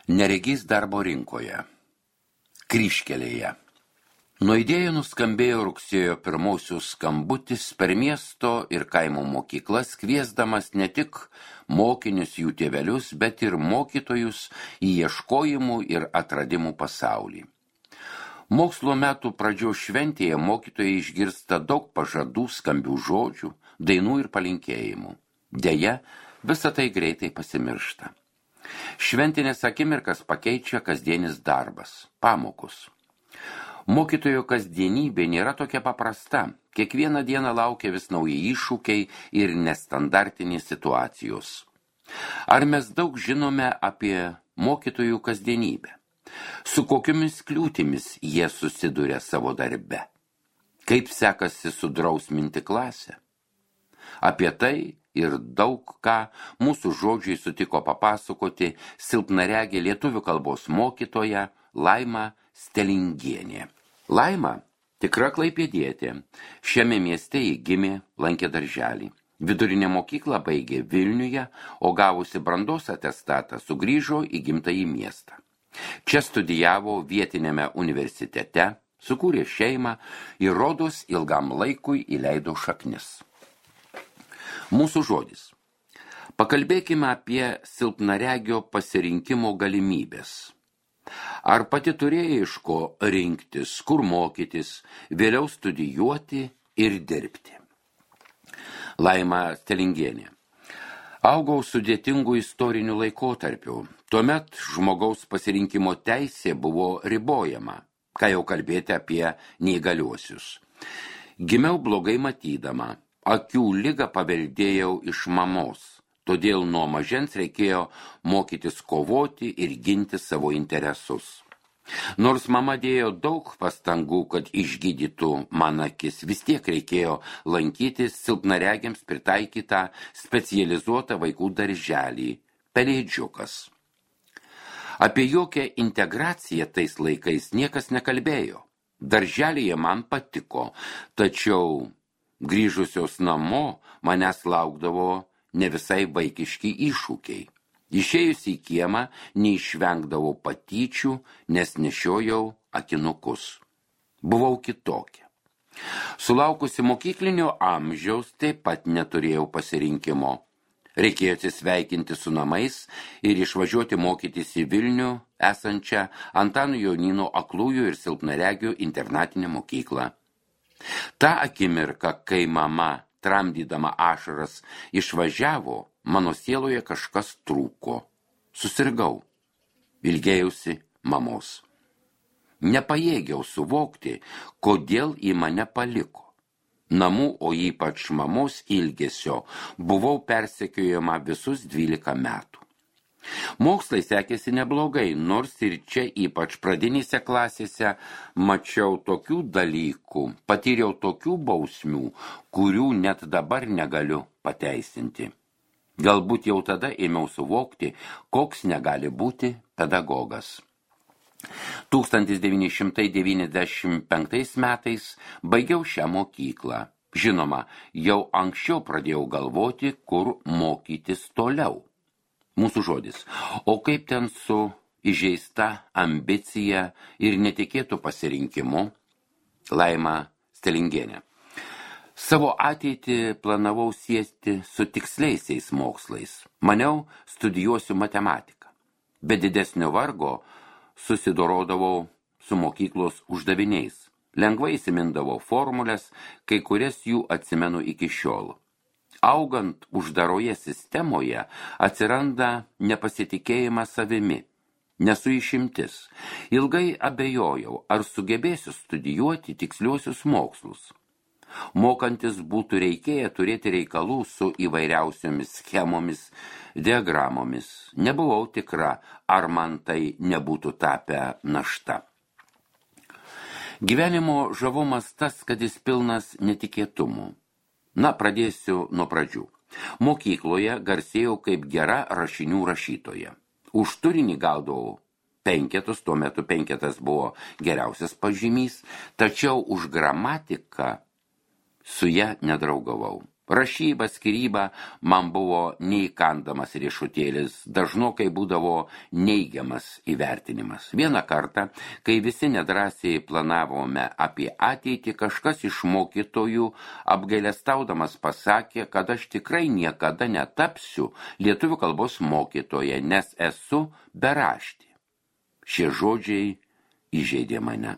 Neregys darbo rinkoje. Kryžkelėje. Nuo idėjų nuskambėjo rugsėjo pirmosios skambutis per miesto ir kaimo mokyklas, kviesdamas ne tik mokinius jų tėvelius, bet ir mokytojus į ieškojimų ir atradimų pasaulį. Mokslo metų pradžios šventėje mokytojai išgirsta daug pažadų, skambių žodžių, dainų ir palinkėjimų. Deja, visa tai greitai pasimiršta. Šventinės akimirkas pakeičia kasdienis darbas, pamokos. Mokytojo kasdienybė nėra tokia paprasta. Kiekvieną dieną laukia vis nauji iššūkiai ir nestandartinės situacijos. Ar mes daug žinome apie mokytojų kasdienybę? Su kokiomis kliūtimis jie susiduria savo darbe? Kaip sekasi sudrausminti klasę? Apie tai ir daug ką mūsų žodžiai sutiko papasakoti silpnaregė lietuvių kalbos mokytoja Laima Stelingienė. Laima tikra klaipėdietė. Šiame mieste ji gimė, lankė darželį. Vidurinę mokyklą baigė Vilniuje, o gavusi brandos atestatą sugrįžo į gimtąjį miestą. Čia studijavo vietiniame universitete, sukūrė šeimą ir rodos ilgam laikui įleido šaknis. Mūsų žodis. Pakalbėkime apie silpnaregio pasirinkimo galimybės. Ar pati turėjai iš ko rinktis, kur mokytis, vėliau studijuoti ir dirbti? Laima Stelingienė. Augau sudėtingų istorinių laikotarpių. Tuomet žmogaus pasirinkimo teisė buvo ribojama, ką jau kalbėti apie neįgaliuosius. Gimiau blogai matydama. Akių ligą paveldėjau iš mamos, todėl nuo mažens reikėjo mokytis kovoti ir ginti savo interesus. Nors mama dėjo daug pastangų, kad išgydytų man akis, vis tiek reikėjo lankytis silpnaregiams pritaikytą specializuotą vaikų darželį – Pelėdžiukas. Apie jokią integraciją tais laikais niekas nekalbėjo. Darželyje man patiko, tačiau grįžusios namo manęs laukdavo ne visai vaikiški iššūkiai. Išėjus į kiemą neišvengdavau patyčių, nes nešiojau akinukus. Buvau kitokia. Sulaukusi mokyklinio amžiaus taip pat neturėjau pasirinkimo. Reikėjo atsisveikinti su namais ir išvažiuoti mokytis į Vilnių esančią Antano Jonyno aklųjų ir silpnaregių internatinę mokyklą. Ta akimirka, kai mama, tramdydama ašaras, išvažiavo, mano sieloje kažkas trūko. Susirgau. Ilgėjausi mamos. Nepajėgiau suvokti, kodėl į mane paliko. Namų, o ypač mamos ilgesio, buvau persekiojama visus 12 metų. Mokslai sekėsi neblogai, nors ir čia ypač pradinėse klasėse mačiau tokių dalykų, patyriau tokių bausmių, kurių net dabar negaliu pateisinti. Galbūt jau tada ėmiau suvokti, koks negali būti pedagogas. 1995 metais baigiau šią mokyklą. Žinoma, jau anksčiau pradėjau galvoti, kur mokytis toliau. Mūsų žodis. O kaip ten su įžeista ambicija ir netikėtų pasirinkimu? Laima Stelingienė. Savo ateitį planavau siesti su tiksliaisiais mokslais. Maniau, studijuosiu matematiką. Be didesnio vargo susidorodavau su mokyklos uždaviniais. Lengvai įsimindavau formulės, kai kurias jų atsimenu iki šiol. Augant uždaroje sistemoje atsiranda nepasitikėjimas savimi. Nesu išimtis. Ilgai abejojau, ar sugebėsiu studijuoti tiksliuosius mokslus. Mokantis būtų reikėję turėti reikalų su įvairiausiomis schemomis, diagramomis. Nebuvau tikra, ar man tai nebūtų tapę našta. Gyvenimo žavumas tas, kad jis pilnas netikėtumų. Na, pradėsiu nuo pradžių. Mokykloje garsėjau kaip gera rašinių rašytoja. Už turinį gaudavau 5, tuo metu 5 buvo geriausias pažymys, tačiau už gramatiką su ja nedraugavau. Rašyba, skyryba man buvo neįkandamas riešutėlis, dažnokai būdavo neigiamas įvertinimas. Vieną kartą, kai visi nedrąsiai planavome apie ateitį, kažkas iš mokytojų apgailestaudamas pasakė, kad aš tikrai niekada netapsiu lietuvių kalbos mokytoja, nes esu beraštė. Šie žodžiai įžeidė mane.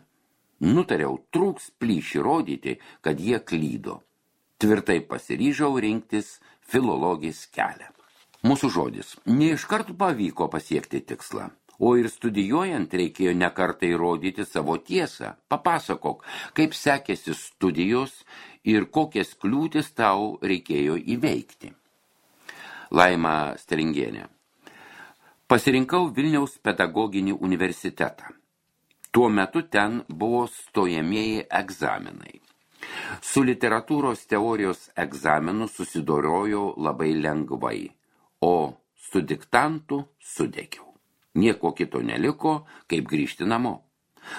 Nutariau trūks plyšį rodyti, kad jie klydo. Tvirtai pasiryžau rinktis filologijos kelią. Mūsų žodis. Ne iš karto pavyko pasiekti tikslą, o ir studijuojant reikėjo nekartą įrodyti savo tiesą. Papasakok, kaip sekėsi studijos ir kokias kliūtis tau reikėjo įveikti. Laima Stringienė. Pasirinkau Vilniaus pedagoginį universitetą. Tuo metu ten buvo stojamieji egzaminai. Su literatūros teorijos egzaminu susidorojau labai lengvai, o su diktantu sudegiau. Nieko kito neliko, kaip grįžti namo.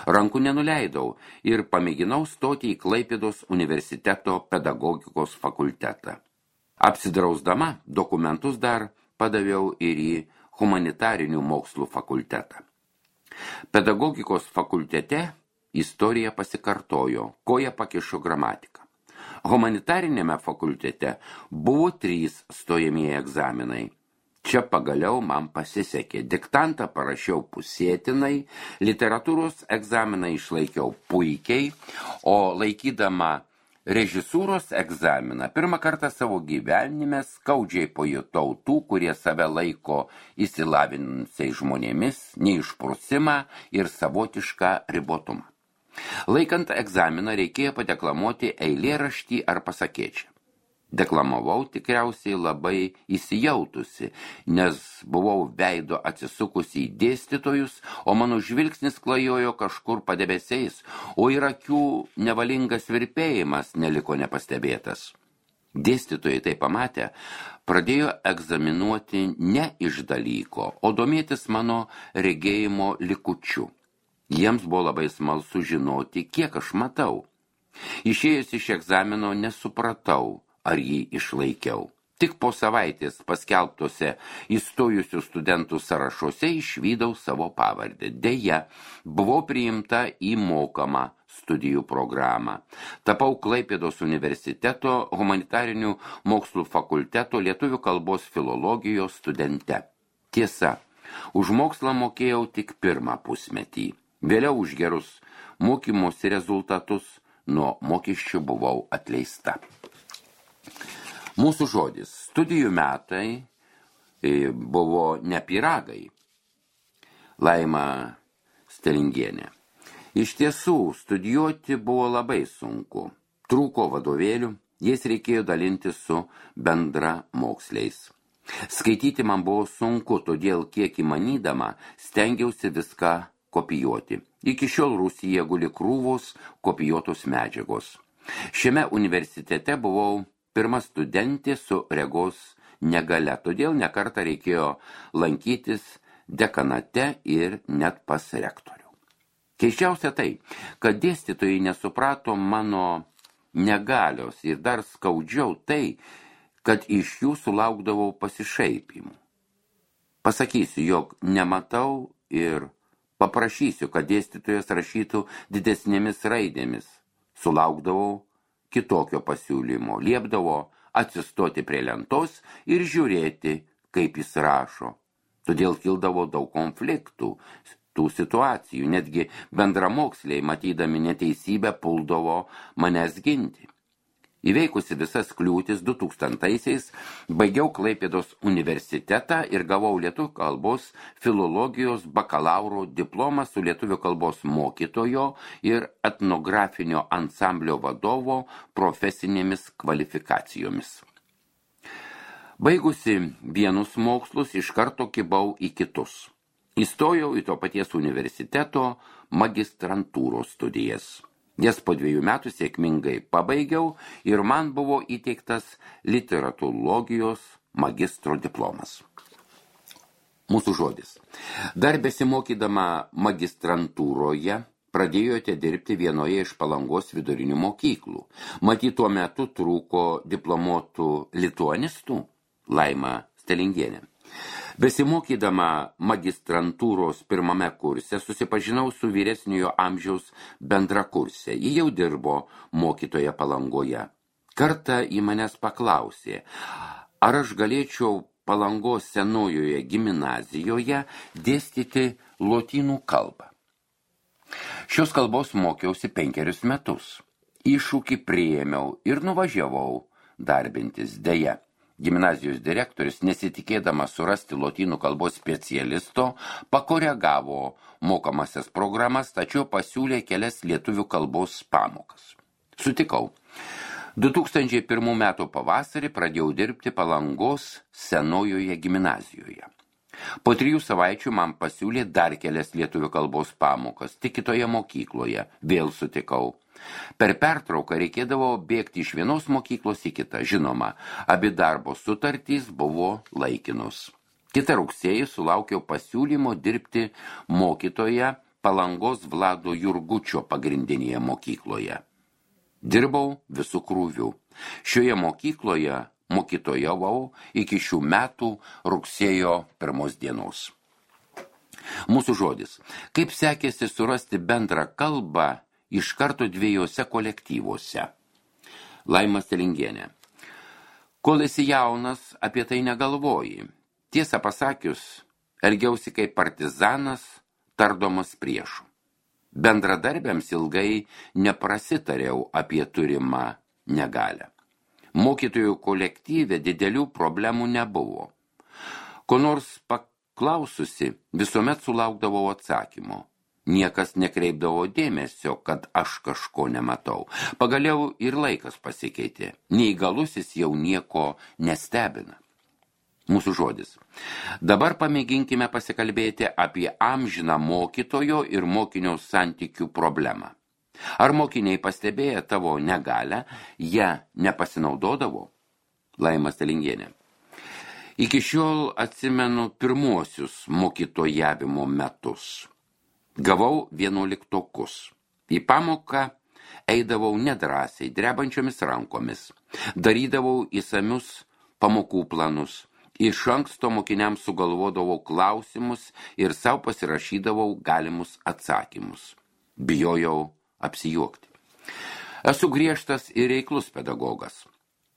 Rankų nenuleidau ir pamėginau stoti į Klaipėdos universiteto pedagogikos fakultetą. Apsidrausdama dokumentus dar padaviau ir į humanitarinių mokslų fakultetą. Pedagogikos fakultete istorija pasikartojo, koja pakišo gramatiką. Humanitarinėme fakultete buvo 3 stojamieji egzaminai. Čia pagaliau man pasisekė. Diktantą parašiau pusėtinai, literatūros egzaminą išlaikiau puikiai, o laikydama režisūros egzaminą pirmą kartą savo gyvenime skaudžiai pajutau tų, kurie save laiko išsilavinusiais žmonėmis, neišprusimą ir savotišką ribotumą. Laikant egzaminą reikėjo padeklamuoti eilėraštį ar pasakėčią. Deklamavau tikriausiai labai įsijautusi, nes buvau veido atsisukusi į dėstytojus, o mano žvilgsnis klajojo kažkur padebesiais, o ir akių nevalingas virpėjimas neliko nepastebėtas. Dėstytojai tai pamatę, pradėjo egzaminuoti ne iš dalyko, o domėtis mano regėjimo likučiu. Jiems buvo labai smalsu žinoti, kiek aš matau. Išėjus iš egzamino nesupratau, ar jį išlaikiau. Tik po savaitės paskelbtose įstojusių studentų sąrašuose išvydau savo pavardę. Deja, buvau priimta į mokamą studijų programą. Tapau Klaipėdos universiteto humanitarinių mokslų fakulteto lietuvių kalbos filologijos studente. Tiesa, už mokslą mokėjau tik 1 pusmetį. Vėliau už gerus mokymosi rezultatus nuo mokesčių buvau atleista. Mūsų žodis. Studijų metai buvo ne pyragai. Laima Stringienė. Iš tiesų, studijuoti buvo labai sunku. Trūko vadovėlių, jais reikėjo dalinti su bendra moksliais. Skaityti man buvo sunku, todėl kiek įmanydama stengiausi viską kopijuoti. Iki šiol Rusija guli krūvos kopijuotos medžiagos. Šiame universitete buvau pirma studentė su regos negalia, todėl nekartą reikėjo lankytis dekanate ir net pas rektorių. Keisčiausia tai, kad dėstytojai nesuprato mano negalios ir dar skaudžiau tai, kad iš jų sulaukdavau pasišaipimų. Pasakysiu, jog nematau ir paprašysiu, kad dėstytojas rašytų didesnėmis raidėmis. Sulaukdavau kitokio pasiūlymo, liepdavo atsistoti prie lentos ir žiūrėti, kaip jis rašo. Todėl kildavo daug konfliktų, tų situacijų, netgi bendramoksliai, matydami neteisybę, puldavo manęs ginti. Įveikusi visas kliūtis 2000-aisiais baigiau Klaipėdos universitetą ir gavau lietuvių kalbos filologijos bakalauro diplomą su lietuvių kalbos mokytojo ir etnografinio ansamblio vadovo profesinėmis kvalifikacijomis. Baigusi vienus mokslus, iš karto kibau į kitus. Įstojau į to paties universiteto magistrantūros studijas. Jas po 2 metų sėkmingai pabaigiau ir man buvo įteiktas literatūrologijos magistro diplomas. Mūsų žodis. Dar besimokydama magistrantūroje pradėjote dirbti vienoje iš Palangos vidurinių mokyklų. Matyt, tuo metu trūko diplomuotų lituanistų? Laima Stelingienė. Besimokydama magistrantūros pirmame kurse susipažinau su vyresniojo amžiaus bendrakursė. Ji jau dirbo mokytoje Palangoje. Kartą į manęs paklausė, ar aš galėčiau Palangos senojoje gimnazijoje dėstyti lotynų kalbą. Šios kalbos mokiausi 5 metus. Iššūkį priėmiau ir nuvažiavau darbintis. Deja, gimnazijos direktorius, nesitikėdamas surasti lotynų kalbos specialisto, pakoregavo mokamasias programas, tačiau pasiūlė kelias lietuvių kalbos pamokas. Sutikau. 2001 metų pavasarį pradėjau dirbti Palangos senojoje gimnazijoje. Po 3 savaičių man pasiūlė dar kelias lietuvių kalbos pamokas, tik kitoje mokykloje. Vėl sutikau. Per pertrauką reikėdavo bėgti iš vienos mokyklos į kitą. Žinoma, abi darbo sutartys buvo laikinos. Kitą rugsėjį sulaukiau pasiūlymo dirbti mokytoje Palangos Vlado Jurgučio pagrindinėje mokykloje. Dirbau visų krūvių. Šioje mokykloje mokytojavau iki šių metų rugsėjo 1 dienos. Mūsų žodis. Kaip sekėsi surasti bendrą kalbą iš karto 2 kolektyvuose? Laima Stelingienė. Kol esi jaunas, apie tai negalvoji. Tiesą pasakius, elgiausi kaip partizanas, tardomas priešų. Bendradarbiams ilgai neprasitariau apie turimą negalią. Mokytojų kolektyve didelių problemų nebuvo. Ko nors paklaususi, visuomet sulaukdavau atsakymo. Niekas nekreipdavo dėmesio, kad aš kažko nematau. Pagaliau ir laikas pasikeitė. Neįgalusis jau nieko nestebina. Mūsų žodis. Dabar pamėginkime pasikalbėti apie amžiną mokytojo ir mokinio santykių problemą. Ar mokiniai pastebėję tavo negalę, ją nepasinaudodavo? Laima Stelingienė. Iki šiol atsimenu pirmuosius mokytojavimo metus. Gavau 11. Į pamoką eidavau nedrąsiai, drebančiomis rankomis. Darydavau įsamius pamokų planus. Iš anksto mokiniams sugalvodavau klausimus ir savo pasirašydavau galimus atsakymus. Bijojau apsijuokti. Esu griežtas ir reiklus pedagogas.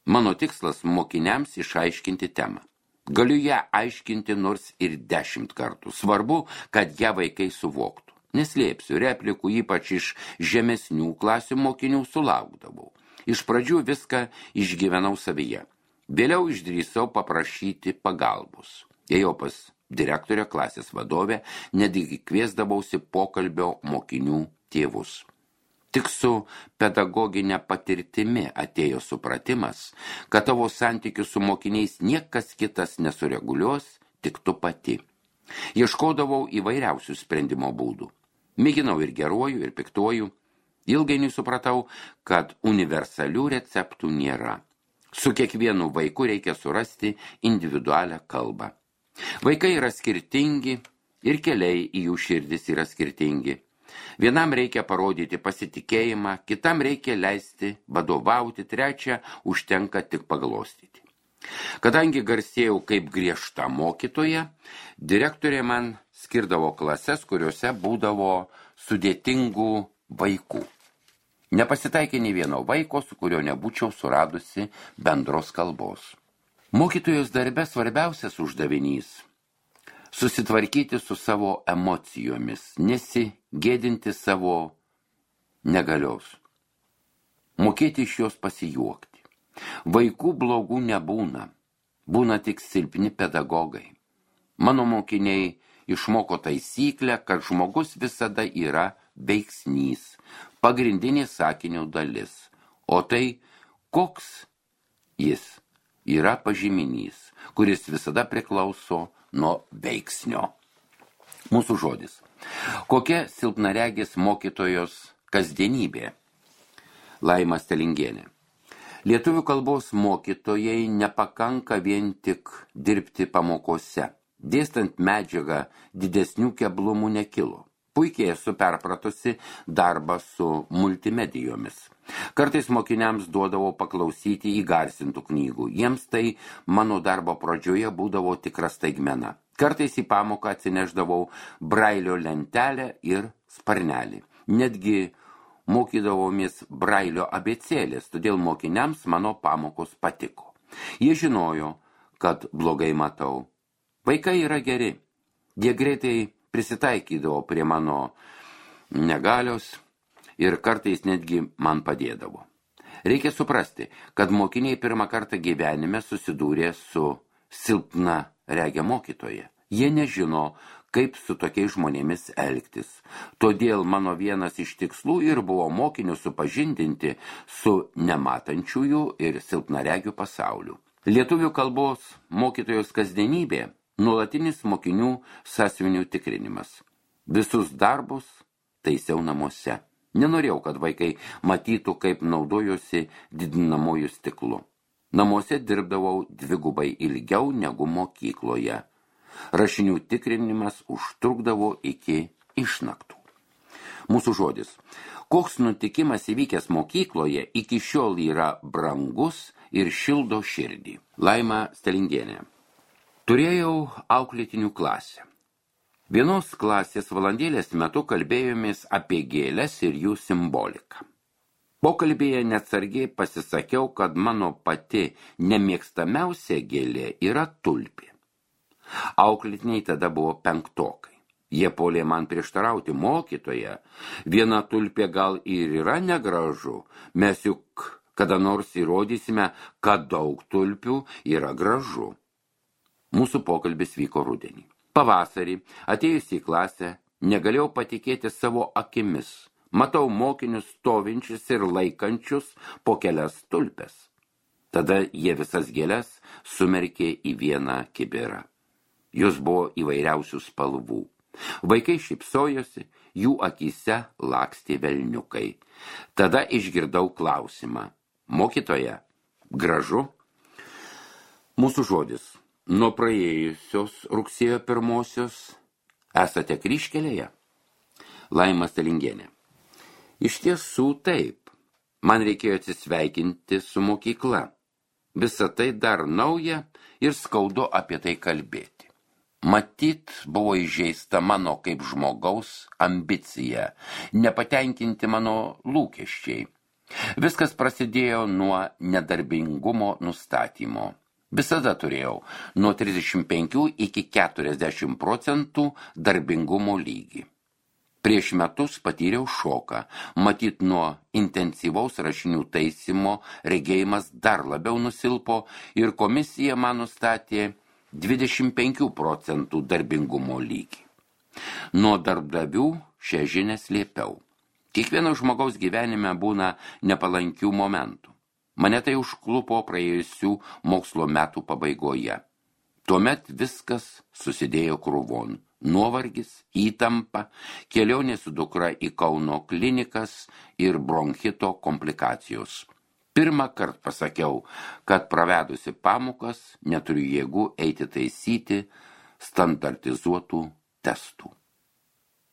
Mano tikslas mokiniams išaiškinti temą. Galiu ją aiškinti nors ir 10 kartų. Svarbu, kad ją vaikai suvoktų. Neslėpsiu, replikų ypač iš žemesnių klasių mokinių sulaukdavau. Iš pradžių viską išgyvenau savyje. Vėliau išdrįsau paprašyti pagalbos. Ėjau pas direktorę, klasės vadovę, netgi kviesdavausi pokalbio mokinių tėvus. Tik su pedagoginė patirtimi atėjo supratimas, kad tavo santykius su mokiniais niekas kitas nesureguliuos, tik tu pati. Ieškodavau įvairiausių sprendimo būdų. Mėginau ir geruoju, ir piktuoju. Ilgainiui supratau, kad universalių receptų nėra. Su kiekvienu vaiku reikia surasti individualią kalbą. Vaikai yra skirtingi ir keliai į jų širdis yra skirtingi. Vienam reikia parodyti pasitikėjimą, kitam reikia leisti vadovauti, trečia užtenka tik paglostyti. Kadangi garsėjau kaip griežta mokytoja, direktorė man skirdavo klases, kuriuose būdavo sudėtingų vaikų. Nepasitaikė nei vieno vaiko, su kurio nebūčiau suradusi bendros kalbos. Mokytojos darbe svarbiausias uždavinys – susitvarkyti su savo emocijomis, nesigėdinti savo negalios, mokėti iš jos pasijuokti. Vaikų blogų nebūna, būna tik silpni pedagogai. Mano mokiniai išmoko taisyklę, kad žmogus visada yra veiksnys, pagrindinė sakinio dalis, o tai koks jis yra pažyminys, kuris visada priklauso nuo veiksnio. Mūsų žodis. Kokia silpnaregės mokytojos kasdienybė? Laima Stelingienė. Lietuvių kalbos mokytojai nepakanka vien tik dirbti pamokose. Dėstant medžiagą didesnių keblumų nekilo. Puikiai esu perpratusi darbą su multimedijomis. Kartais mokiniams duodavau paklausyti įgarsintų knygų. Jiems tai mano darbo pradžioje būdavo tikra staigmena. Kartais į pamoką atsineždavau brailio lentelę ir sparnelį. Netgi mokydavomis brailio abėcėlės, todėl mokiniams mano pamokos patiko. Jie žinojo, kad blogai matau. Vaikai yra geri. Jie greitai prisitaikydavo prie mano negalios ir kartais netgi man padėdavo. Reikia suprasti, kad mokiniai pirmą kartą gyvenime susidūrė su silpna regė mokytoja. Jie nežino, kaip su tokiais žmonėmis elgtis. Todėl mano vienas iš tikslų ir buvo mokinius supažindinti su nematančiųjų ir silpnaregių pasauliu. Lietuvių kalbos mokytojos kasdienybė nuolatinis mokinių sąsiuvinių tikrinimas. Visus darbus taisiau namuose. Nenorėjau, kad vaikai matytų, kaip naudojuosi didinamojų stiklu. Namuose dirbdavau dvigubai ilgiau negu mokykloje. Rašinių tikrinimas užtrukdavo iki išnaktų. Mūsų žodis. Koks nutikimas įvykęs mokykloje iki šiol yra brangus ir šildo širdį. Laima Stalingienė. Turėjau auklėtinių klasę. Vienos klasės valandėlės metu kalbėjomės apie gėles ir jų simboliką. Pokalbėje neatsargiai pasisakiau, kad mano pati nemėgstamiausia gėlė yra tulpė. Auklėtiniai tada buvo penktokai. Jie puolė man prieštarauti: mokytoja, viena tulpė gal ir yra negražu, mes juk kada nors įrodysime, kad daug tulpių yra gražu. Mūsų pokalbis vyko rudenį. Pavasarį, atėjus į klasę, negalėjau patikėti savo akimis. Matau mokinius stovinčius ir laikančius po kelias tulpes. Tada jie visas gėles sumerkė į vieną kibirą. Jos buvo įvairiausių spalvų. Vaikai šypsojosi, jų akyse lakstė velniukai. Tada išgirdau klausimą: mokytoja, gražu? Mūsų žodis. Nuo praėjusios rugsėjo 1 esate kryžkelėje? Laima Stalingienė. Iš tiesų taip. Man reikėjo atsisveikinti su mokykla. Visa tai dar nauja ir skaudu apie tai kalbėti. Matyt, buvo įžeista mano kaip žmogaus ambicija, nepatenkinti mano lūkesčiai. Viskas prasidėjo nuo nedarbingumo nustatymo. Visada turėjau nuo 35 iki 40% darbingumo lygį. Prieš metus patyriau šoką, matyt nuo intensyvaus rašinių taisymo regėjimas dar labiau nusilpo ir komisija man nustatė 25% darbingumo lygį. Nuo darbdavių šią žinią slėpiau. Kiekvieno žmogaus gyvenime būna nepalankių momentų. Mane tai užklupo praėjusių mokslo metų pabaigoje. Tuomet viskas susidėjo krūvon. Nuovargis, įtampa, kelionė su dukra į Kauno klinikas ir bronchito komplikacijos. Pirmą kartą pasakiau, kad pravedusi pamokas neturiu jėgų eiti taisyti standartizuotų testų.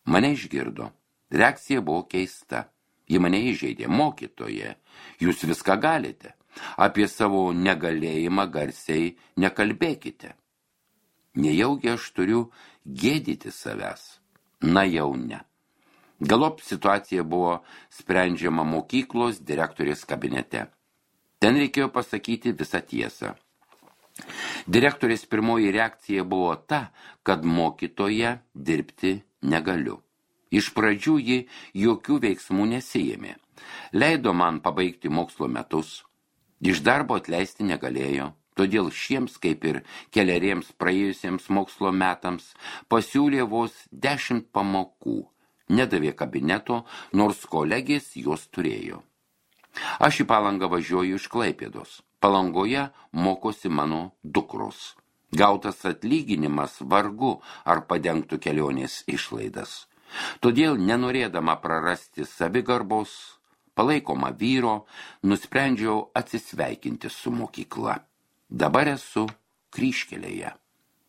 Mane išgirdo. Reakcija buvo keista. Ji mane įžeidė: mokytoja, jūs viską galite. Apie savo negalėjimą garsiai nekalbėkite. Nejaugi aš turiu gėdyti savęs? Na jau ne. Galop situacija buvo sprendžiama mokyklos direktorės kabinete. Ten reikėjo pasakyti visą tiesą. Direktorės pirmoji reakcija buvo ta, kad mokytoja dirbti negaliu. Iš pradžių ji jokių veiksmų nesiėmė. Leido man pabaigti mokslo metus. Iš darbo atleisti negalėjo, todėl šiems, kaip ir keleriems praėjusiems mokslo metams, pasiūlė vos 10 pamokų. Nedavė kabineto, nors kolegės jos turėjo. Aš į Palangą važiuoju iš Klaipėdos. Palangoje mokosi mano dukros. Gautas atlyginimas vargu ar padengtų kelionės išlaidas. Todėl, nenorėdama prarasti savigarbos, palaikoma vyro, nusprendžiau atsisveikinti su mokykla. Dabar esu kryžkelėje.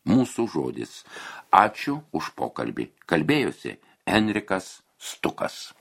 Mūsų žodis. Ačiū už pokalbį. Kalbėjosi Henrikas Stukas.